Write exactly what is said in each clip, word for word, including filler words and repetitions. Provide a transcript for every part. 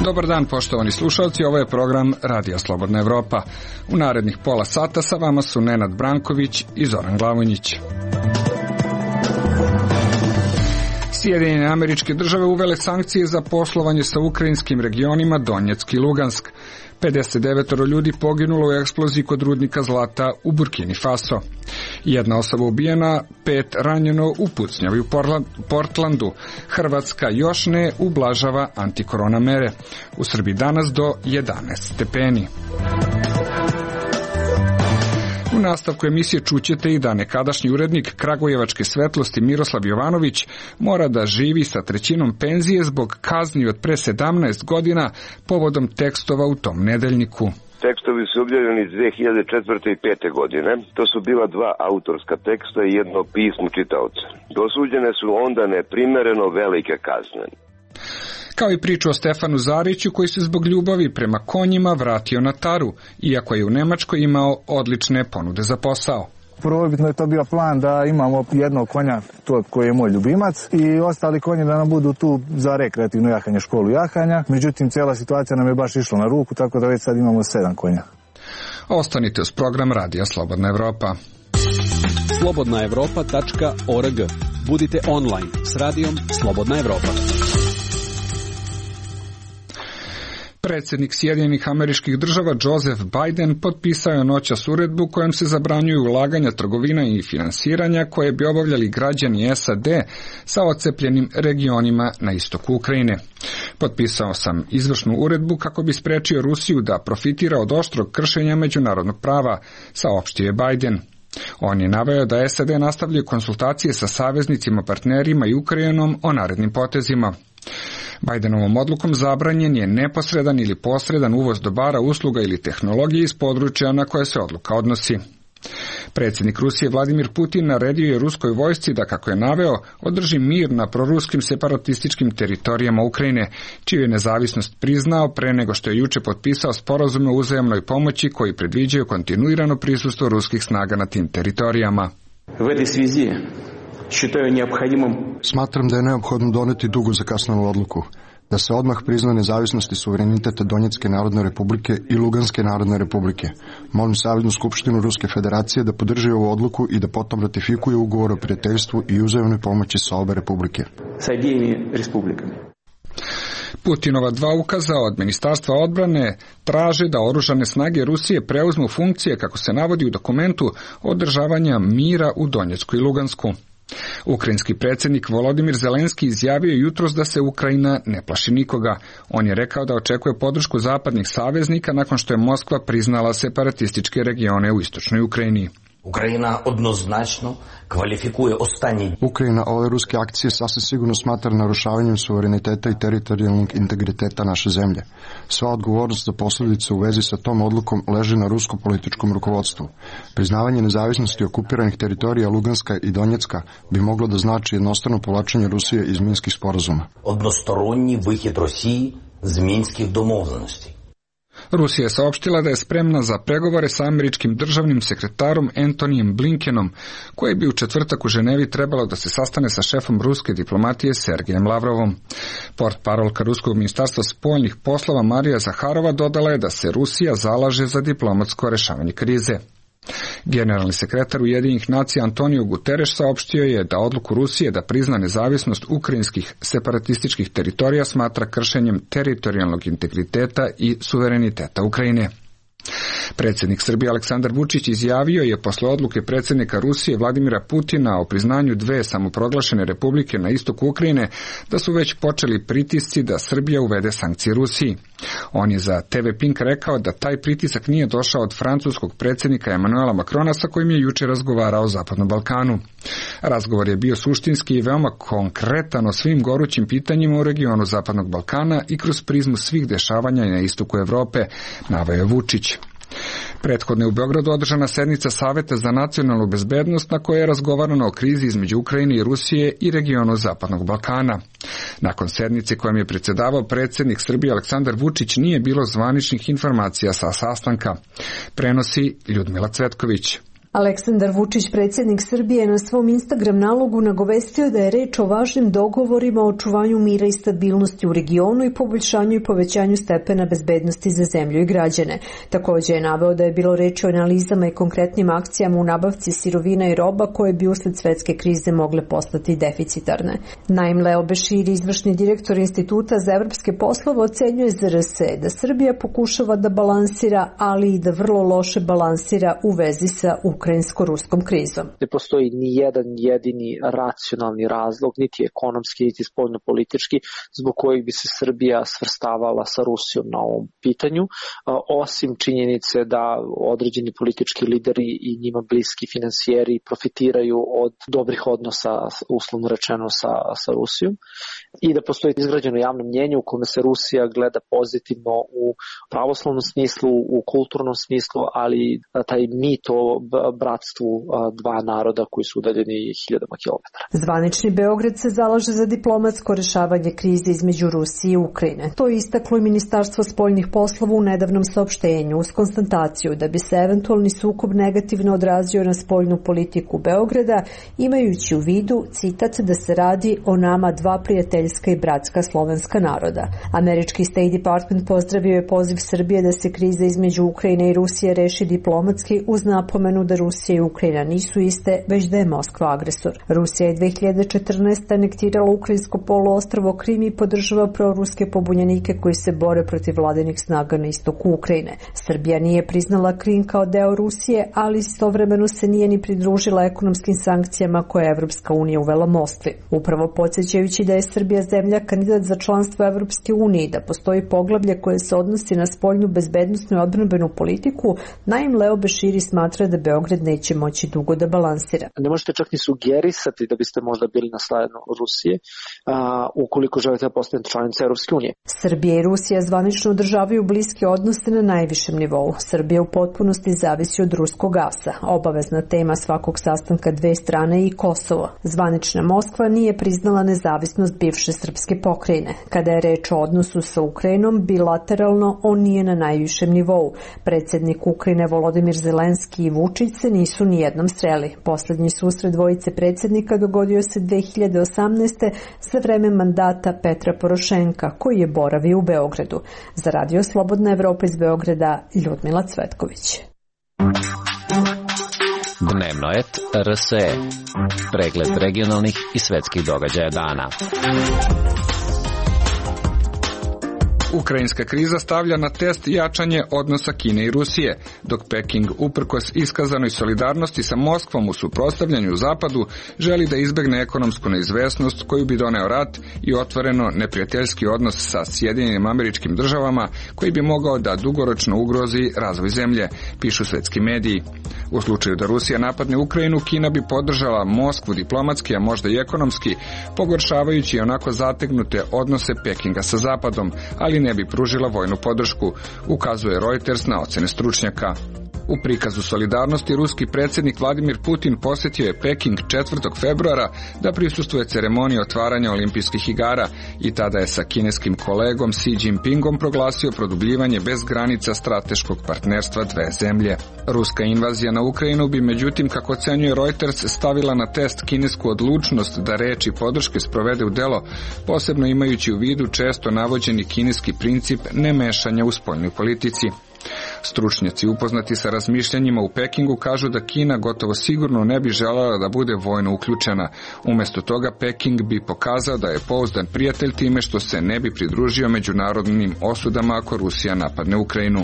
Dobar dan, poštovani slušalci, ovo je program Radija Slobodna Evropa. U narednih pola sata sa vama su Nenad Branković i Zoran Glavonjić. Sjedinjene Američke Države uvele sankcije za poslovanje sa ukrajinskim regionima Donjeck i Lugansk. pedeset devet ljudi poginulo u eksploziji kod rudnika zlata u Burkini Faso. Jedna osoba ubijena, pet ranjeno u pucnjavi u Portlandu. Hrvatska još ne ublažava antikorona mere. U Srbiji danas do jedanaest stepeni. U nastavku emisije čućete i da nekadašnji urednik Kragujevačke svetlosti Miroslav Jovanović mora da živi sa trećinom penzije zbog kazni od pre sedamnaest godina povodom tekstova u tom nedeljniku. Tekstovi su objavljeni dve hiljade četvrte i pete godine. To su bila dva autorska teksta i jedno pismo čitaoca. Dosuđene su onda neprimereno velike kazne. Kao i priču o Stefanu Zariću koji se zbog ljubavi prema konjima vratio na Taru, iako je u Nemačkoj imao odlične ponude za posao. Prvobitno je to bio plan da imamo jednog konja, to koji je moj ljubimac, i ostali konji da nam budu tu za rekreativno jahanje, školu jahanja. Međutim, cijela situacija nam je baš išla na ruku, tako da već sad imamo sedam konja. Ostanite uz program Radija Slobodna Evropa. slobodna evropa tačka org. Budite online s Radijom Slobodna Evropa. Predsjednik Sjedinjenih Američkih Država Joseph Biden potpisao je noćas uredbu kojom se zabranjuju ulaganja, trgovina i finansiranja koje bi obavljali građani S A D sa odcepljenim regionima na istoku Ukrajine. Potpisao sam izvršnu uredbu kako bi sprečio Rusiju da profitira od oštrog kršenja međunarodnog prava, saopštio je Biden. On je naveo da S A D nastavljaju konsultacije sa saveznicima, partnerima i Ukrajinom o narednim potezima. Bidenovom odlukom zabranjen je neposredan ili posredan uvoz dobara, usluga ili tehnologije iz područja na koje se odluka odnosi. Predsjednik Rusije Vladimir Putin naredio je ruskoj vojsci da, kako je naveo, održi mir na proruskim separatističkim teritorijama Ukrajine, čiju je nezavisnost priznao pre nego što je juče potpisao sporazume o uzajamnoj pomoći koji predviđaju kontinuirano prisustvo ruskih snaga na tim teritorijama. Smatram da je neophodno doneti dugo zakasnelu odluku, da se odmah prizna nezavisnost i suverenitet Donjecke narodne republike i Luganske narodne republike. Molim Saveznu skupštinu Ruske federacije da podrži ovu odluku i da potom ratifikuje ugovor o prijateljstvu i uzajamnoj pomoći sa obe republike. Sa obema republikama. Putinova dva ukaza od Ministarstva odbrane traže da oružane snage Rusije preuzmu funkcije, kako se navodi u dokumentu, održavanja mira u Donjecku i Lugansku. Ukrajinski predsjednik Volodimir Zelenski izjavio jutros da se Ukrajina ne plaši nikoga. On je rekao da očekuje podršku zapadnih saveznika nakon što je Moskva priznala separatističke regione u istočnoj Ukrajini. Ukrajina odnoznačno kvalifikuje ostanji. Ukrajina ove ruske akcije sasvim sigurno smatra narušavanjem suvereniteta i teritorijalnog integriteta naše zemlje. Sva odgovornost za posljedice u vezi sa tom odlukom leži na rusko-političkom rukovodstvu. Priznavanje nezavisnosti okupiranih teritorija Luganska i Donjecka bi moglo da znači jednostrano povlačenje Rusije iz minskih sporazuma. Односторонній вихід Росії з мінських домовленостей. Rusija je saopštila da je spremna za pregovore sa američkim državnim sekretarom Antonijem Blinkenom, koji bi u četvrtak u Ženevi trebalo da se sastane sa šefom ruske diplomatije Sergejem Lavrovom. Portparolka Ruskog ministarstva spoljnih poslova Marija Zaharova dodala je da se Rusija zalaže za diplomatsko rešavanje krize. Generalni sekretar Ujedinjenih nacija Antonio Guterres saopštio je da odluku Rusije da prizna nezavisnost ukrajinskih separatističkih teritorija smatra kršenjem teritorijalnog integriteta i suvereniteta Ukrajine. Predsjednik Srbije Aleksandar Vučić izjavio je posle odluke predsjednika Rusije Vladimira Putina o priznanju dve samoproglašene republike na istoku Ukrajine da su već počeli pritisci da Srbija uvede sankcije Rusiji. On je za T V Pink rekao da taj pritisak nije došao od francuskog predsjednika Emanuela Macrona sa kojim je juče razgovarao o Zapadnom Balkanu. Razgovor je bio suštinski i veoma konkretan o svim gorućim pitanjima u regionu Zapadnog Balkana i kroz prizmu svih dešavanja na istoku Evrope, naveo je Vučić. Prethodno je u Beogradu održana sednica Saveta za nacionalnu bezbednost na kojoj je razgovarano o krizi između Ukrajine i Rusije i regionu Zapadnog Balkana. Nakon sednice kojom je predsjedavao predsjednik Srbije Aleksandar Vučić nije bilo zvaničnih informacija sa sastanka. Prenosi Ljudmila Cvetković. Aleksandar Vučić, predsjednik Srbije, na svom Instagram nalogu nagovestio da je reč o važnim dogovorima o očuvanju mira i stabilnosti u regionu i poboljšanju i povećanju stepena bezbednosti za zemlju i građane. Također je naveo da je bilo reči o analizama i konkretnim akcijama u nabavci sirovina i roba koje bi usled svetske krize mogle postati deficitarne. Naim Leo Beširi, izvršni direktor Instituta za evropske poslove, ocenjuje Z R S da Srbija pokušava da balansira, ali i da vrlo loše balansira u vezi sa ukrajinsko-ruskom krizom. Ne postoji ni jedan jedini racionalni razlog, niti ekonomski, niti spoljno-politički, zbog kojeg bi se Srbija svrstavala sa Rusijom na ovom pitanju, osim činjenice da određeni politički lideri i njima bliski finansijeri profitiraju od dobrih odnosa, uslovno rečeno, sa, sa Rusijom, i da postoji izgrađeno javno mnjenje u kome se Rusija gleda pozitivno u pravoslavnom smislu, u kulturnom smislu, ali taj mit o bratstvu dva naroda koji su udaljeni hiljadama kilometara. Zvanični Beograd se zalaže za diplomatsko rešavanje krize između Rusije i Ukrajine. To je istaklo i Ministarstvo spoljnih poslova u nedavnom saopštenju uz konstataciju da bi se eventualni sukob negativno odrazio na spoljnu politiku Beograda, imajući u vidu, citat, da se radi o nama dva prijateljska i bratska slovenska naroda. Američki State Department pozdravio je poziv Srbije da se kriza između Ukrajine i Rusije reši diplomatski uz napomenu da Rusija i Ukrajina nisu iste, već da je Moskva agresor. Rusija je dve hiljade četrnaeste. anektirala ukrajinsko poluostrvo Krim i podržava proruske pobunjenike koji se bore protiv vladinih snaga na istoku Ukrajine. Srbija nije priznala Krim kao deo Rusije, ali istovremeno se nije ni pridružila ekonomskim sankcijama koje je Evropska unija uvela Moskvi. Upravo podsjećajući da je Srbija zemlja kandidat za članstvo Evropske unije i da postoji poglavlje koje se odnosi na spoljnu bezbednosnu i odbrambenu politiku, Naim Leo Beširi smatra da Beograd neće moći dugo da balansira. Ne možete čak ni sugerisati da biste možda bili na strani Rusije a, ukoliko želite da postanete članica Evropske unije. Srbija i Rusija zvanično održavaju bliske odnose na najvišem nivou. Srbija u potpunosti zavisi od ruskog gasa. Obavezna tema svakog sastanka dve strane je i Kosovo. Zvanična Moskva nije priznala nezavisnost bivše srpske pokrajine. Kada je reč o odnosu sa Ukrajinom, bilateralno on nije na najvišem nivou. Predsjednik Ukrajine Volodimir Zelenski i Vučić se nisu ni jednom sreli. Poslednji susret dvojice predsjednika dogodio se dve hiljade osamnaeste. za vreme mandata Petra Porošenka, koji je boravio u Beogradu. Za Radio Slobodna Evropa iz Beograda, Ljudmila Cvetković. Dnevno et R S E. Pregled regionalnih i svetskih događaja dana. Ukrajinska kriza stavlja na test jačanje odnosa Kine i Rusije, dok Peking, uprkos iskazanoj solidarnosti sa Moskvom u suprotstavljanju Zapadu, želi da izbegne ekonomsku neizvesnost koju bi doneo rat i otvoreno neprijateljski odnos sa Sjedinjenim Američkim Državama, koji bi mogao da dugoročno ugrozi razvoj zemlje, pišu svetski mediji. U slučaju da Rusija napadne Ukrajinu, Kina bi podržala Moskvu diplomatski, a možda i ekonomski, pogoršavajući onako zategnute odnose Pekinga sa Zapadom, ali ne bi pružila vojnu podršku, ukazuje Reuters na ocene stručnjaka. U prikazu solidarnosti ruski predsjednik Vladimir Putin posjetio je Peking četvrtog februara da prisustvuje ceremoniji otvaranja olimpijskih igara i tada je sa kineskim kolegom Xi Jinpingom proglasio produbljivanje bez granica strateškog partnerstva dve zemlje. Ruska invazija na Ukrajinu bi međutim, kako ocenjuje Reuters, stavila na test kinesku odlučnost da reči podrške sprovede u delo, posebno imajući u vidu često navođeni kineski princip nemešanja u spoljnoj politici. Stručnjaci upoznati sa razmišljanjima u Pekingu kažu da Kina gotovo sigurno ne bi željela da bude vojno uključena. Umjesto toga Peking bi pokazao da je pouzdan prijatelj time što se ne bi pridružio međunarodnim osudama ako Rusija napadne Ukrajinu.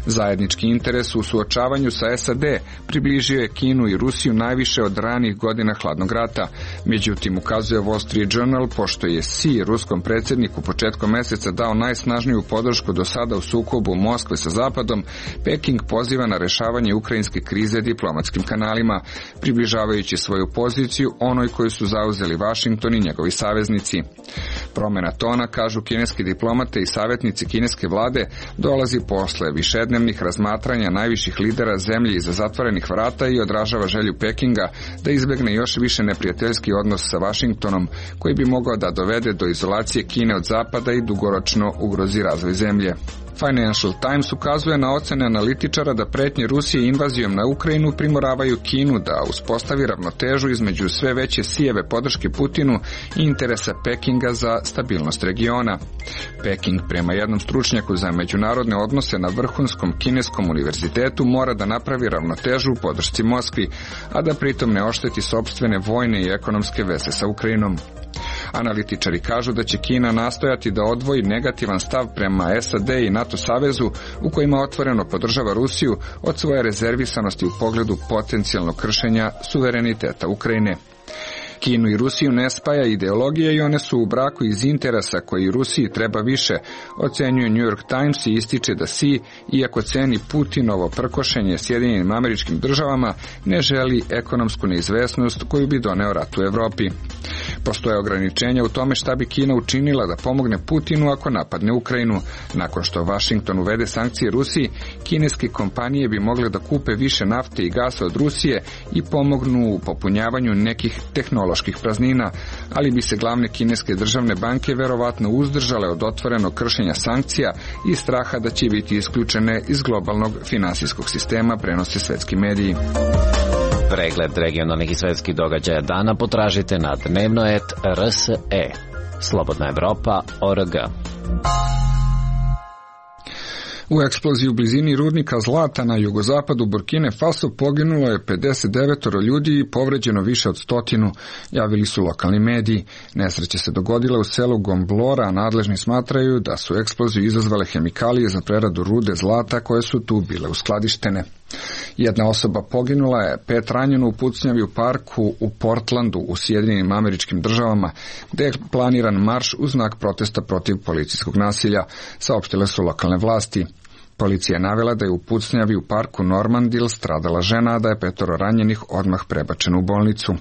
Zajednički interes u suočavanju sa S A D približio je Kinu i Rusiju najviše od ranih godina hladnog rata. Međutim, ukazuje Wall Street Journal, pošto je Xi ruskom predsjedniku početkom mjeseca dao najsnažniju podršku do sada u sukobu Moskve sa Zapadom, Peking poziva na rešavanje ukrajinske krize diplomatskim kanalima, približavajući svoju poziciju onoj koju su zauzeli Washington i njegovi saveznici. Promjena tona, kažu kineski diplomate i savjetnici kineske vlade, dolazi posle višednevnih razmatranja najviših lidera zemlje iza zatvorenih vrata i odražava želju Pekinga da izbegne još više neprijateljski odnos sa Washingtonom, koji bi mogao da dovede do izolacije Kine od Zapada i dugoročno ugrozi razvoj zemlje. Financial Times ukazuje na ocene analitičara da pretnje Rusije invazijom na Ukrajinu primoravaju Kinu da uspostavi ravnotežu između sve veće sijeve podrške Putinu i interesa Pekinga za stabilnost regiona. Peking, prema jednom stručnjaku za međunarodne odnose na vrhunskom kineskom univerzitetu, mora da napravi ravnotežu u podršci Moskvi, a da pritom ne ošteti sopstvene vojne i ekonomske veze sa Ukrajinom. Analitičari kažu da će Kina nastojati da odvoji negativan stav prema S A D i NATO savezu, u kojima otvoreno podržava Rusiju, od svoje rezervisanosti u pogledu potencijalnog kršenja suvereniteta Ukrajine. Kinu i Rusiju ne spaja ideologija i one su u braku iz interesa koji Rusiji treba više, ocenjuje New York Times i ističe da Xi, iako ceni Putinovo prkošenje Sjedinjenim Američkim Državama, ne želi ekonomsku neizvesnost koju bi doneo rat u Evropi. Postoje ograničenja u tome šta bi Kina učinila da pomogne Putinu ako napadne Ukrajinu. Nakon što Washington uvede sankcije Rusiji, kineske kompanije bi mogle da kupe više nafte i gasa od Rusije i pomognu u popunjavanju nekih tehnoloških praznina, ali bi se glavne kineske državne banke verovatno uzdržale od otvorenog kršenja sankcija i straha da će biti isključene iz globalnog finansijskog sistema, prenose svetski mediji. Pregled regionalnih i svetskih događaja dana potražite na dnevnoet R S E. Slobodna Evropa O R G. U eksploziji u blizini rudnika zlata na jugozapadu Burkine Faso poginulo je pedeset devet ljudi i povređeno više od stotinu, javili su lokalni mediji. Nesreća se dogodila u selu Gomblora, a nadležni smatraju da su eksploziju izazvale hemikalije za preradu rude zlata koje su tu bile uskladištene. Jedna osoba poginula je, pet ranjeno u pucnjavi u parku u Portlandu u Sjedinjenim Američkim Državama, gde je planiran marš u znak protesta protiv policijskog nasilja, saopštile su lokalne vlasti. Policija je navela da je u pucnjavi u parku Normandil stradala žena, a da je petoro ranjenih odmah prebačeno u bolnicu.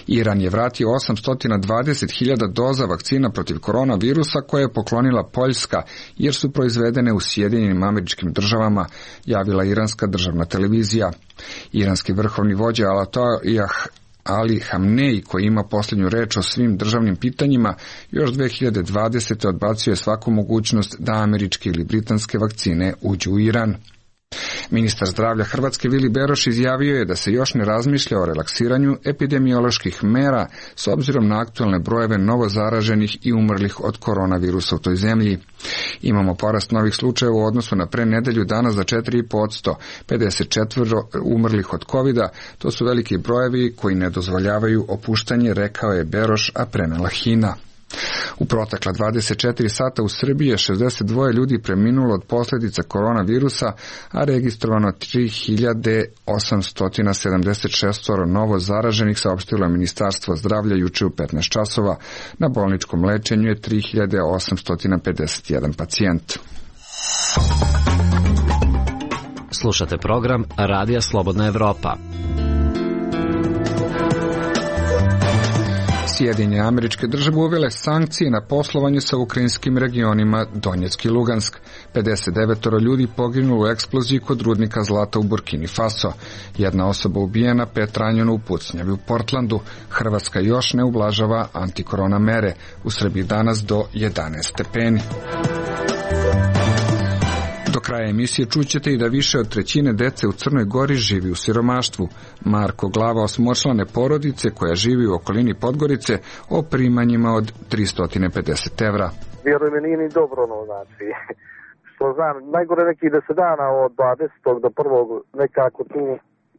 Iran je vratio osamsto dvadeset hiljada doza vakcina protiv koronavirusa koje je poklonila Poljska, jer su proizvedene u Sjedinjenim Američkim Državama, javila iranska državna televizija. Iranski vrhovni vođa Ajatollah Ali Hamnej, koji ima posljednju reč o svim državnim pitanjima, još dve hiljade dvadesete odbacio je svaku mogućnost da američke ili britanske vakcine uđu u Iran. Ministar zdravlja Hrvatske Vili Beroš izjavio je da se još ne razmišlja o relaksiranju epidemioloških mera s obzirom na aktualne brojeve novozaraženih i umrlih od koronavirusa u toj zemlji. Imamo porast novih slučajeva u odnosu na pre nedelju dana za četiri i po posto, pedeset četiri umrlih od kovida, to su veliki brojevi koji ne dozvoljavaju opuštanje, rekao je Beroš, a prenela Hina. U protekla dvadeset četiri sata u Srbiji je šezdeset dva ljudi preminulo od posljedica koronavirusa, a registrovano tri hiljade osamsto sedamdeset šest novo zaraženih, saopštilo je Ministarstvo zdravlja juče u petnaest časova. Na bolničkom lečenju je tri hiljade osamsto pedeset jedan pacijent. Slušate program Radija Slobodna Evropa. Sjedinjene Američke Države uvele sankcije na poslovanje sa ukrajinskim regionima Donjeck i Lugansk. pedeset devet ljudi poginulo u eksploziji kod rudnika zlata u Burkini Faso. Jedna osoba ubijena, pet ranjeno u pucnjavi u Portlandu. Hrvatska još ne ublažava antikorona mere. U Srbiji danas do jedanaest stepeni. Do kraja emisije čućete i da više od trećine dece u Crnoj Gori živi u siromaštvu. Marko Glava osmočlane porodice koja živi u okolini Podgorice o primanjima od tristo pedeset evra. Vjerujem mi, nije ni dobro, no, znači, što znam, najgore nekih deset dana od dvadesetog do prvog nekako tu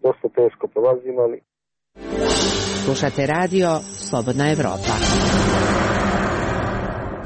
dosta teško prolazim, ali... Slušate radio Slobodna Evropa.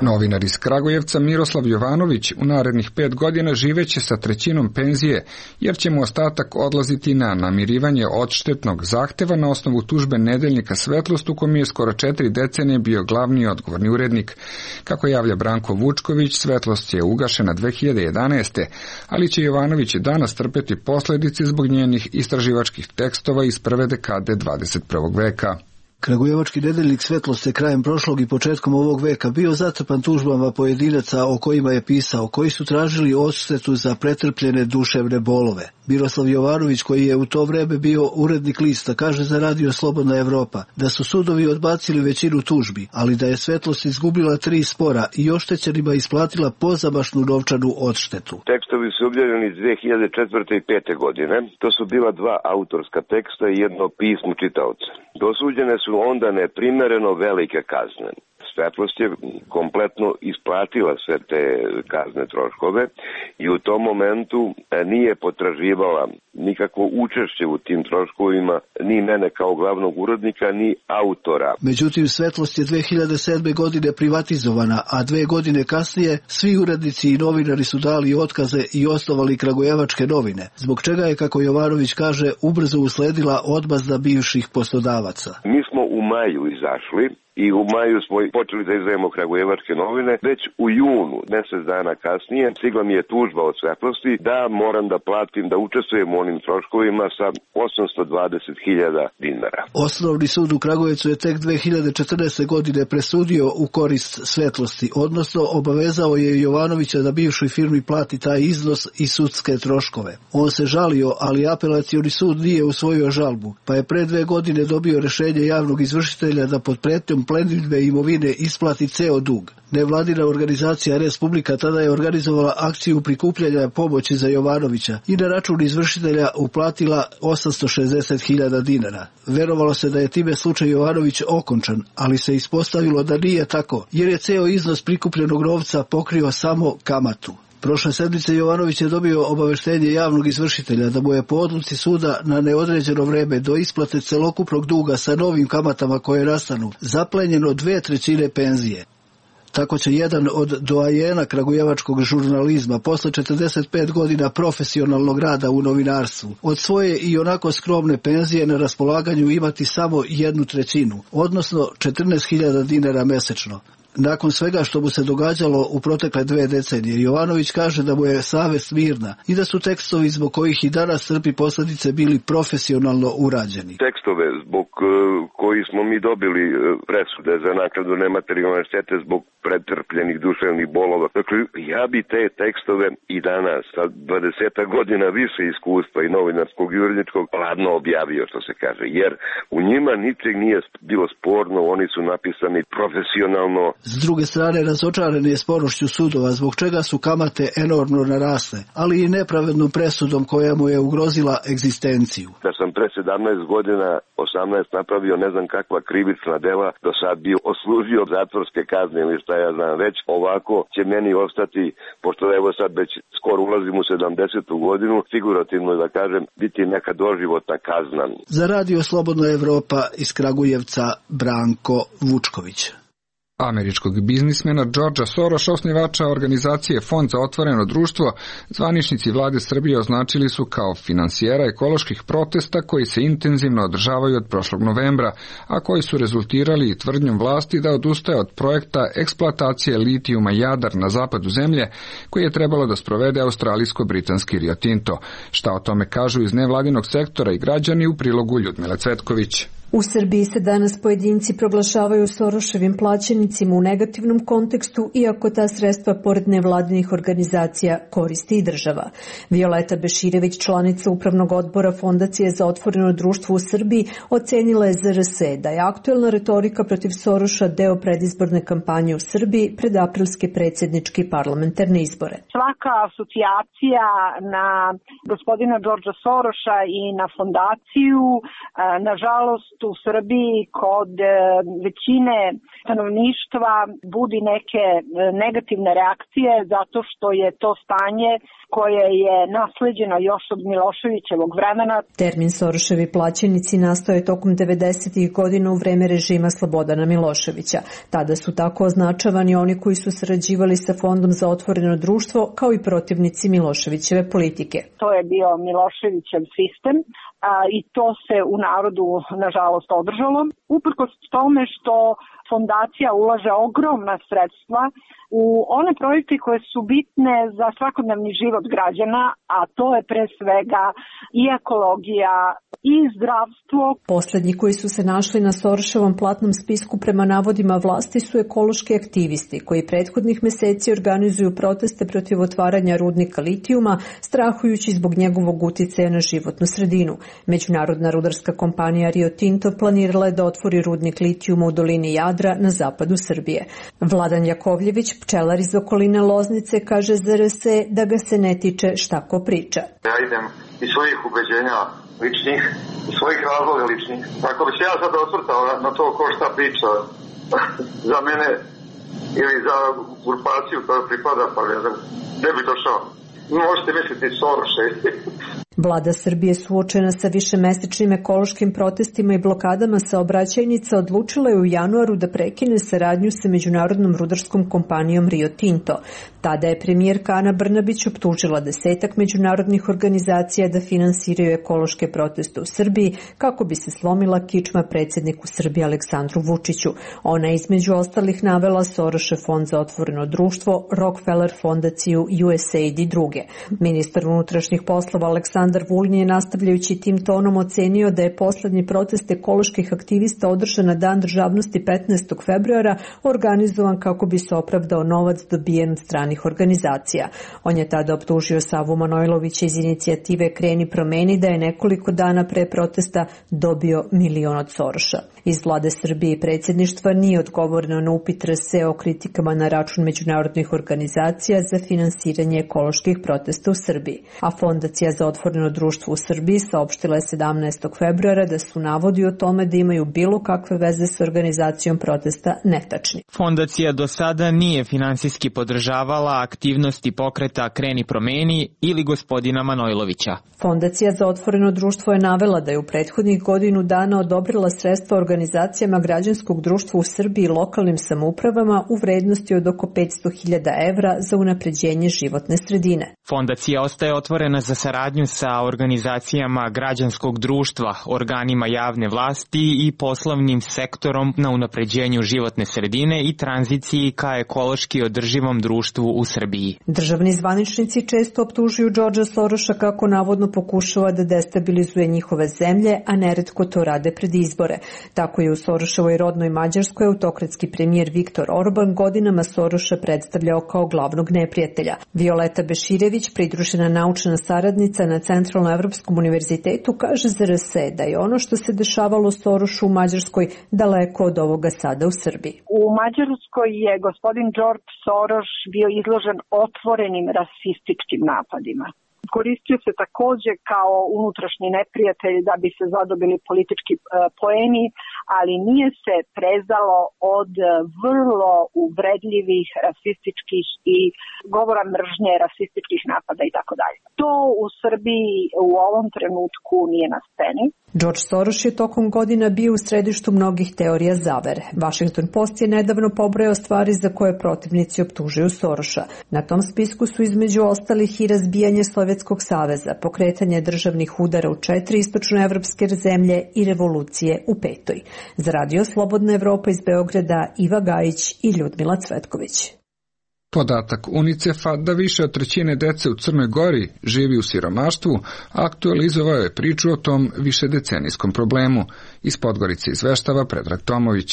Novinar iz Kragujevca Miroslav Jovanović u narednih pet godina živeće sa trećinom penzije, jer će mu ostatak odlaziti na namirivanje odštetnog zahteva na osnovu tužbe nedeljnika Svetlost, u kom je skoro četiri decenije bio glavni odgovorni urednik. Kako javlja Branko Vučković, Svetlost je ugašena dve hiljade jedanaeste. ali će Jovanović danas trpeti posljedice zbog njenih istraživačkih tekstova iz prve dekade dvadeset prvog veka. Kragujevački nedeljnik Svetlost je krajem prošlog i početkom ovog veka bio zatrpan tužbama pojedinaca o kojima je pisao, koji su tražili odštetu za pretrpljene duševne bolove. Miroslav Jovanović, koji je u to vreme bio urednik lista, kaže za radio Slobodna Evropa da su sudovi odbacili većinu tužbi, ali da je Svetlost izgubila tri spora i oštećenima isplatila pozamašnu novčanu odštetu. Tekstovi su objavljeni iz dve hiljade četvrte i pete godine. To su bila dva autorska teksta i jedno pismo čitaoca. Dosuđene su onda neprimereno velike kazne. Svetlost je kompletno isplatila sve te kazne troškove i u tom momentu nije potraživala nikakvo učešće u tim troškovima, ni mene kao glavnog urednika, ni autora. Međutim, Svetlost je dve hiljade sedme godine privatizovana, a dve godine kasnije svi urednici i novinari su dali otkaze i osnovali Kragujevačke novine, zbog čega je, kako Jovanović kaže, ubrzo usledila odmazda bivših poslodavaca. Mi smo u maju izašli i u maju smo počeli da izdajemo Kragujevačke novine. Već u junu, mjesec dana kasnije, stigla mi je tužba od Svetlosti da moram da platim, da učestvujem u onim troškovima sa osamsto dvadeset hiljada dinara. Osnovni sud u Kragujevcu je tek dve hiljade četrnaeste. godine presudio u korist Svetlosti, odnosno obavezao je Jovanovića da bivšoj firmi plati taj iznos i sudske troškove. On se žalio, ali apelacioni sud nije usvojio žalbu, pa je pre dve godine dobio rešenje javnog izvršitelja da pod pretnjom plenidbe imovine isplati ceo dug. Nevladina organizacija Respublika tada je organizovala akciju prikupljanja pomoći za Jovanovića i na račun izvršitelja uplatila osamsto šezdeset hiljada dinara. Verovalo se da je time slučaj Jovanović okončan, ali se ispostavilo da nije tako, jer je ceo iznos prikupljenog novca pokrio samo kamatu. Prošle sedmice Jovanović je dobio obaveštenje javnog izvršitelja da mu je po odluci suda na neodređeno vreme do isplate celokupnog duga sa novim kamatama koje nastanu zaplenjeno dve trećine penzije. Tako će jedan od doajena kragujevačkog žurnalizma posle četrdeset pet godina profesionalnog rada u novinarstvu od svoje i onako skromne penzije na raspolaganju imati samo jednu trećinu, odnosno četrnaest hiljada dinara mesečno. Nakon svega što mu se događalo u protekle dve decenije, Jovanović kaže da mu je savest mirna i da su tekstovi zbog kojih i danas trpi posljedice bili profesionalno urađeni. Tekstove zbog koji smo mi dobili presude za naknadu nematerijalne štete zbog pretrpljenih duševnih bolova. Dakle, ja bi te tekstove i danas sa dvadeset godina više iskustva i novinarskog i uredničkog ladno objavio, što se kaže, jer u njima ničeg nije bilo sporno, oni su napisani profesionalno. S druge strane, razočaran je sporošću sudova, zbog čega su kamate enormno narasle, ali i nepravednom presudom koja mu je ugrozila egzistenciju. Da sam pre sedamnaest godina, osamnaest napravio ne znam kakva krivična dela, do sad bi oslužio zatvorske kazne ili šta ja znam, već ovako će meni ostati, pošto evo sad već skoro ulazim u sedamdesetu godinu, figurativno da kažem, biti neka doživotna kazna. Za radio Slobodna Evropa iz Kragujevca, Branko Vučković. Američkog biznismena Georgea Sorosa, osnivača organizacije Fond za otvoreno društvo, zvaničnici vlade Srbije označili su kao finansijera ekoloških protesta koji se intenzivno održavaju od prošlog novembra, a koji su rezultirali tvrdnjom vlasti da odustaje od projekta eksploatacije litijuma Jadar na zapadu zemlje, koji je trebalo da sprovede australijsko-britanski Rio Tinto. Šta o tome kažu iz nevladinog sektora i građani u prilogu Ljudmile Cvetković. U Srbiji se danas pojedinci proglašavaju Soroševim plaćenicima u negativnom kontekstu, iako ta sredstva pored nevladinih organizacija koristi i država. Violeta Beširević, članica Upravnog odbora Fondacije za otvoreno društvo u Srbiji, ocenila je Z R S da je aktuelna retorika protiv Soroša deo predizborne kampanje u Srbiji pred aprilske predsjedničke i parlamentarne izbore. Svaka asocijacija na gospodina Georgea Soroša i na fondaciju, nažalost, u Srbiji kod većine stanovništva budi neke negativne reakcije zato što je to stanje koje je nasleđeno još od Miloševićevog vremena. Termin Soroševi plaćenici nastao je tokom devedesetih godina u vreme režima Slobodana Miloševića. Tada su tako označavani oni koji su sarađivali sa Fondom za otvoreno društvo kao i protivnici Miloševićeve politike. To je bio Miloševićev sistem a, i to se u narodu nažalost održalo. Uprkos tome što fondacija ulaže ogromna sredstva u one projekte koje su bitne za svakodnevni život građana, a to je pre svega i ekologija i zdravstvo. Poslednji koji su se našli na Soroševom platnom spisku prema navodima vlasti su ekološki aktivisti koji prethodnih meseci organizuju proteste protiv otvaranja rudnika litijuma, strahujući zbog njegovog uticaja na životnu sredinu. Međunarodna rudarska kompanija Rio Tinto planirala je da otvori rudnik litijuma u dolini Jadra na zapadu Srbije. Vladan Jakovljević, pčelar iz okoline Loznice, kaže za R S E da ga se ne tiče šta ko priča. Ja idem iz svojih ubeđenja ličnih, iz svojih razloga ličnih. Ako bi se ja sad osvrtao na to ko šta priča za mene ili za grupaciju koja pripada, pa ne znam, ne bi došao. Možete misliti Soroše. Vlada Srbije suočena sa višemesečnim ekološkim protestima i blokadama saobraćajnica odlučila je u januaru da prekine saradnju sa međunarodnom rudarskom kompanijom Rio Tinto. Tada je premijerka Ana Brnabić optužila desetak međunarodnih organizacija da finansiraju ekološke proteste u Srbiji kako bi se slomila kičma predsjedniku Srbije Aleksandru Vučiću. Ona je između ostalih navela Sorošev fond za otvoreno društvo, Rockefeller fondaciju, U S A I D i druge. Ministar unutrašnjih poslova Aleksandar Vulin je nastavljajući tim tonom ocenio da je poslednji protest ekoloških aktivista održan na Dan državnosti petnaestog februara organizovan kako bi se opravdao novac dobijen od stranih organizacija. On je tada optužio Savu Manojlovića iz inicijative Kreni promeni da je nekoliko dana pre protesta dobio milion od Soroša. Iz vlade Srbije i predsjedništva nije odgovoreno na upit R S E o kritikama na račun međunarodnih organizacija za finansiranje ekoloških protesta u Srbiji. A Fondacija za otvoreno društvo u Srbiji saopštila je sedamnaestog februara da su navodi o tome da imaju bilo kakve veze s organizacijom protesta netačni. Fondacija do sada nije finansijski podržavala aktivnosti pokreta Kreni promeni ili gospodina Manojlovića. Fondacija za otvoreno društvo je navela da je u prethodnih godinu dana odobrila sredstva organizacijama građanskog društva u Srbiji i lokalnim samoupravama u vrednosti od oko petsto hiljada evra za unapređenje životne sredine. Fondacija ostaje otvorena za saradnju sa organizacijama građanskog društva, organima javne vlasti i poslovnim sektorom na unapređenju životne sredine i tranziciji ka ekološki održivom društvu u Srbiji. Državni zvaničnici često optužuju Đorđa Soroša kako navodno pokušava da destabilizuje njihove zemlje, a neretko to rade pred izbore. Tako je u Soroševoj rodnoj Mađarskoj autokratski premijer Viktor Orban godinama Soroša predstavljao kao glavnog neprijatelja. Violeta Beširević, pridružena naučna saradnica na Centralnoevropskom univerzitetu, kaže za R S E da je ono što se dešavalo Sorošu u Mađarskoj daleko od ovoga sada u Srbiji. U Mađarskoj je gospodin George Soros bio izložen otvorenim rasističkim napadima. Koristio se takođe kao unutrašnji neprijatelj da bi se zadobili politički poeni, ali nije se prezalo od vrlo uvredljivih rasističkih i govora mržnje, rasističkih napada i tako dalje. To u Srbiji u ovom trenutku nije na sceni. George Soros je tokom godina bio u središtu mnogih teorija zavere. Washington Post je nedavno pobrojao stvari za koje protivnici optužuju Soroša. Na tom spisku su između ostalih i razbijanje Sovjetskog saveza, pokretanje državnih udara u četiri istočnoevropske zemlje i revolucije u petoj. Za Radio Slobodna Evropa iz Beograda Iva Gajić i Ljudmila Cvetković. Podatak UNICEF-a da više od trećine dece u Crnoj Gori živi u siromaštvu aktualizovao je priču o tom višedecenijskom problemu. Iz Podgorice izveštava Predrag Tomović.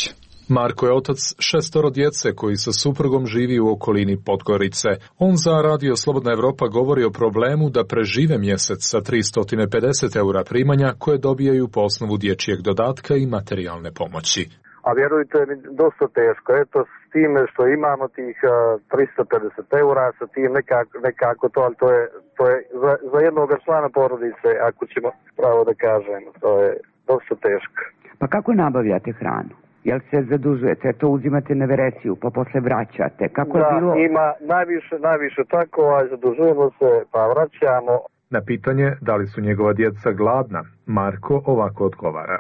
Marko je otac šestoro djece koji sa suprugom živi u okolini Podgorice. On za Radio Slobodna Evropa govori o problemu da prežive mjesec sa tristo pedeset eura primanja koje dobijaju po osnovu dječjeg dodatka i materijalne pomoći. A vjerujte mi, dosta teško. Eto, s time što imamo tih uh, tristo pedeset eura, sa tim nekako, nekako to, ali to je, to je za, za jednog člana porodice, ako ćemo pravo da kažemo, to je dosta teško. Pa kako nabavljate hranu? Jel se zadužujete, to uzimate na vereciju, pa posle vraćate? Kako da, je bilo? ima najviše, najviše tako, a zadužujemo se, pa vraćamo. Na pitanje da li su njegova djeca gladna, Marko ovako odgovara.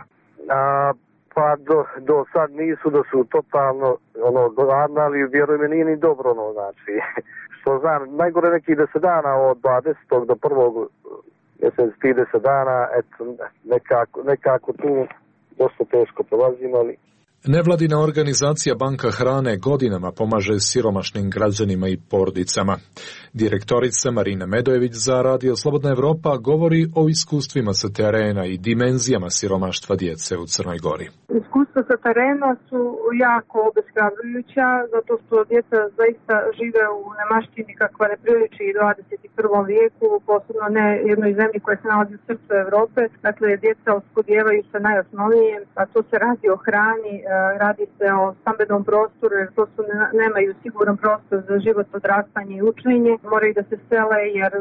A, Pa do, do sad nisu da su totalno ono, gladni, ali vjeruj me nije ni dobro, ono, znači, što znam, najgore nekih deset dana od dvadesetog do prvog mjesec, trideset dana, eto, nekako, nekako tu dosta teško prolazimo, ali... Nevladina organizacija Banka hrane godinama pomaže siromašnim građanima i porodicama. Direktorica Marina Medojević za Radio Slobodna Evropa govori o iskustvima sa terena i dimenzijama siromaštva djece u Crnoj Gori. Iskustva sa terena su jako obeshrabrujuća, zato što djeca zaista žive u nemaštini kakva ne priliči i dvadeset prvom vijeku, posebno ne jednoj zemlji koja se nalazi u srcu Evrope. Dakle, djeca oskudijevaju sa najosnovnijem, a to se radi o hrani, radi se o stambenom prostoru, jer to su nemaju siguran prostor za život, odrastanje i učenje. Moraju da se sele jer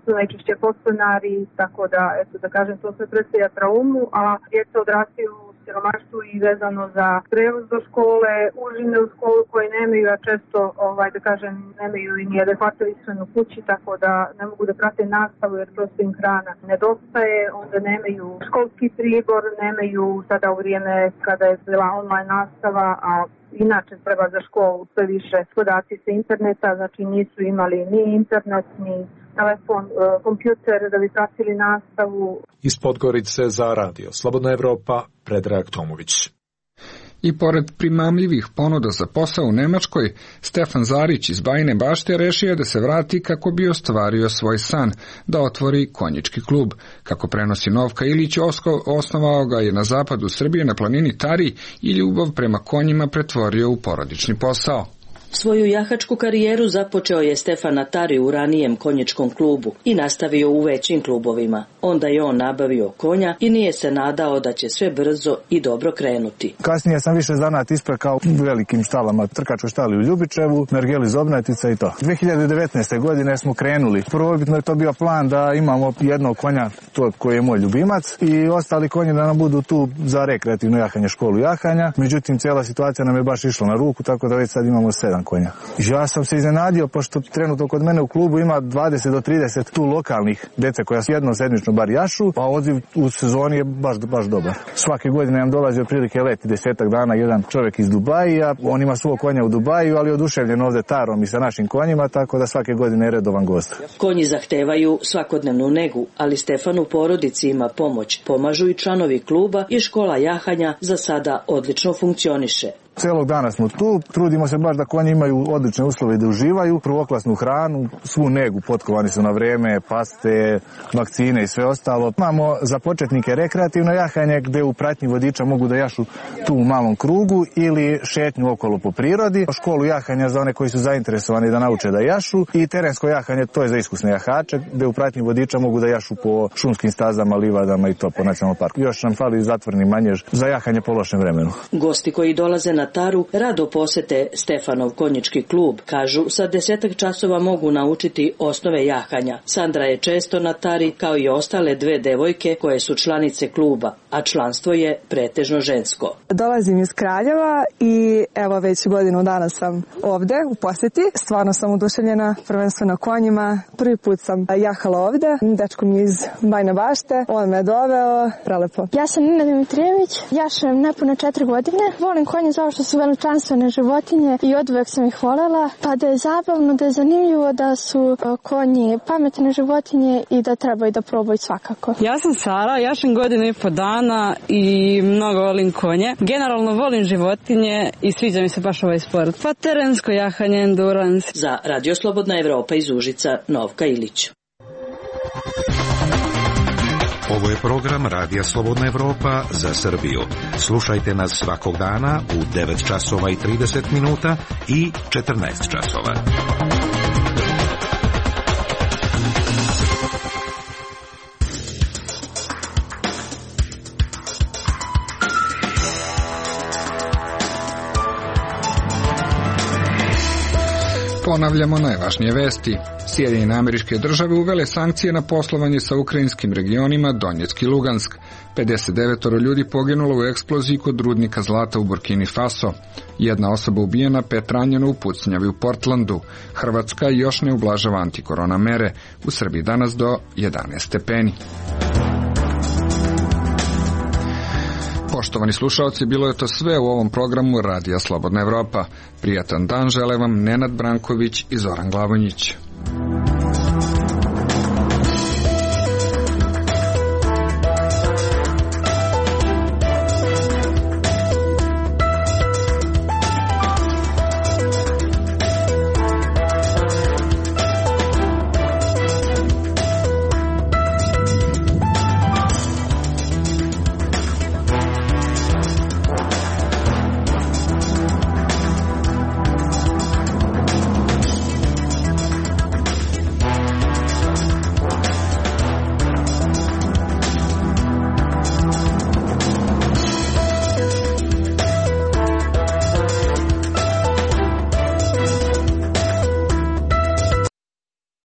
su najčešće podstanari, tako da, eto da kažem, to sve predstavlja traumu, a djeca odrastaju u siromaštvu i vezano za prevoz do škole, užine u školu koje nemaju, a često, ovaj, da kažem, nemaju i ni adekvatnu ishranu kući, tako da ne mogu da prate nastavu jer prosto im hrana nedostaje, onda nemaju školski pribor, nemaju sada u vrijeme kada je bila online nastava, a inače treba za školu sve više podaci sa interneta, znači nisu imali ni internet, ni telefon, kompjuter da bi pratili nastavu. Iz Podgorice za Radio Slobodna Evropa, Predrag Tomović. I pored primamljivih ponuda za posao u Nemačkoj, Stefan Zarić iz Bajine Bašte rešio da se vrati kako bi ostvario svoj san, da otvori konjički klub. Kako prenosi Novka Ilić, osnovao ga je na zapadu Srbije na planini Tari i ljubav prema konjima pretvorio u porodični posao. Svoju jahačku karijeru započeo je Stefan na Tari u ranijem konjičkom klubu i nastavio u većim klubovima. Onda je on nabavio konja i nije se nadao da će sve brzo i dobro krenuti. Kasnije sam više zanat isprekao u velikim štalama, trkačkoj štali u Ljubičevu, Mergeli Zobnatica i to. dve hiljade devetnaeste. godine smo krenuli. Prvobitno je to bio plan da imamo jednog konja, to koji je moj ljubimac, i ostali konji da nam budu tu za rekreativno jahanje, školu jahanja. Međutim, cijela situacija nam je baš išla na ruku, tako da već sad imamo sedam konja. Ja sam se iznenadio, pošto trenutno kod mene u klubu ima dvadeset do trideset tu lokalnih dece koja jedno sedmično bar jašu, a odziv u sezoni je baš, baš dobar. Svake godine nam dolazi otprilike leti desetak dana jedan čovjek iz Dubajija, on ima svog konja u Dubaju, ali oduševljen ovde Tarom i sa našim konjima, tako da svake godine je redovan gost. Konji zahtevaju svakodnevnu negu, ali Stefan u porodici ima pomoć. Pomažu i članovi kluba i škola jahanja za sada odlično funkcioniše. Celog dana smo tu, trudimo se baš da konji imaju odlične uslove da uživaju, prvoklasnu hranu, svu negu, potkovani su na vreme, paste, vakcine i sve ostalo. Imamo za početnike rekreativno jahanje gde u pratnji vodiča mogu da jašu tu u malom krugu ili šetnju okolo po prirodi. Školu jahanja za one koji su zainteresovani da nauče da jašu i terensko jahanje, to je za iskusne jahače gde u pratnji vodiča mogu da jašu po šumskim stazama, livadama i to po nacionalnom parku. Još nam fali zatvorni manjež za jahanje po lošem vremenu. Gosti koji dolaze na Taru rado posete Stefanov konjički klub. Kažu, sa desetak časova mogu naučiti osnove jahanja. Sandra je često na Tari, kao i ostale dve devojke koje su članice kluba, a članstvo je pretežno žensko. Dolazim iz Kraljeva i evo već godinu dana sam ovde u poseti. Stvarno sam oduševljena, prvenstveno konjima. Prvi put sam jahala ovde, dečko mi iz Bajne Bašte, on me doveo, prelepo. Ja sam Nina Dimitrijević, jašem nepune četiri godine. Volim konje zato što su veličanstvene životinje i oduvek sam ih volela, pa da je zabavno, da je zanimljivo, da su konji pametne životinje i da trebaju da probaju svakako. Ja sam Sara, jašem godinu i po dana i mnogo volim konje. Generalno volim životinje i sviđa mi se baš ovaj sport. Pa terensko jahanje, endurance. Za Radio Slobodna Evropa iz Užica, Novka Ilić. Ovo je program Radija Slobodna Evropa za Srbiju. Slušajte nas svakog dana u devet časova i trideset minuta i četrnaest časova. Ponavljamo najvažnije vesti. Sjedinjene Američke Države uvele sankcije na poslovanje sa ukrajinskim regionima Donjeck i Lugansk. pedeset devet ljudi poginulo u eksploziji kod rudnika zlata u Burkini Faso. Jedna osoba ubijena, pet ranjeno u pucnjavi u Portlandu. Hrvatska još ne ublažava antikorona mere. U Srbiji danas do jedanaest stepeni. Poštovani slušalci, bilo je to sve u ovom programu Radija Slobodna Evropa. Prijatan dan žele vam Nenad Branković i Zoran Glavonjić.